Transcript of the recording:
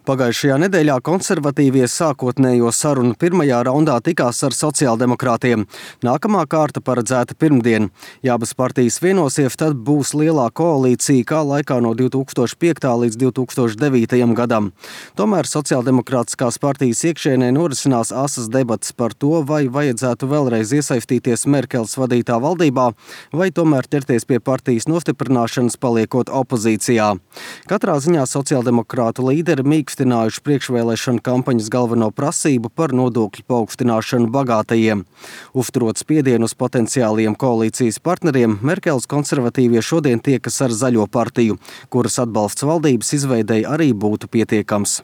Pagājušajā nedēļā konservatīvie sākotnējo sarunu pirmajā raundā tikās ar sociāldemokrātiem. Nākamā kārta paredzēta pirmdien. Ja abas partijas vienosies, tad būs lielā koalīcija kā laikā no 2005. līdz 2009. gadam. Tomēr sociāldemokrātiskās partijas iekšienē norisinās asas debatas par to, vai vajadzētu vēlreiz iesaistīties Merkeles vadītā valdībā, vai tomēr ķerties pie partijas nostiprināšanas paliekot opozīcijā. Katrā ziņā sociāldemokrātu līderi mīkstinājuši priekšvēlēšanu kampaņas galveno prasību par nodokļu paaugstināšanu bagātajiem. Uzturot spiedienu uz potenciāliem koalīcijas partneriem, Merkeles konservatīvie šodien tiekas ar Zaļo partiju, kuras atbalsts valdības izveidei arī būtu pietiekams.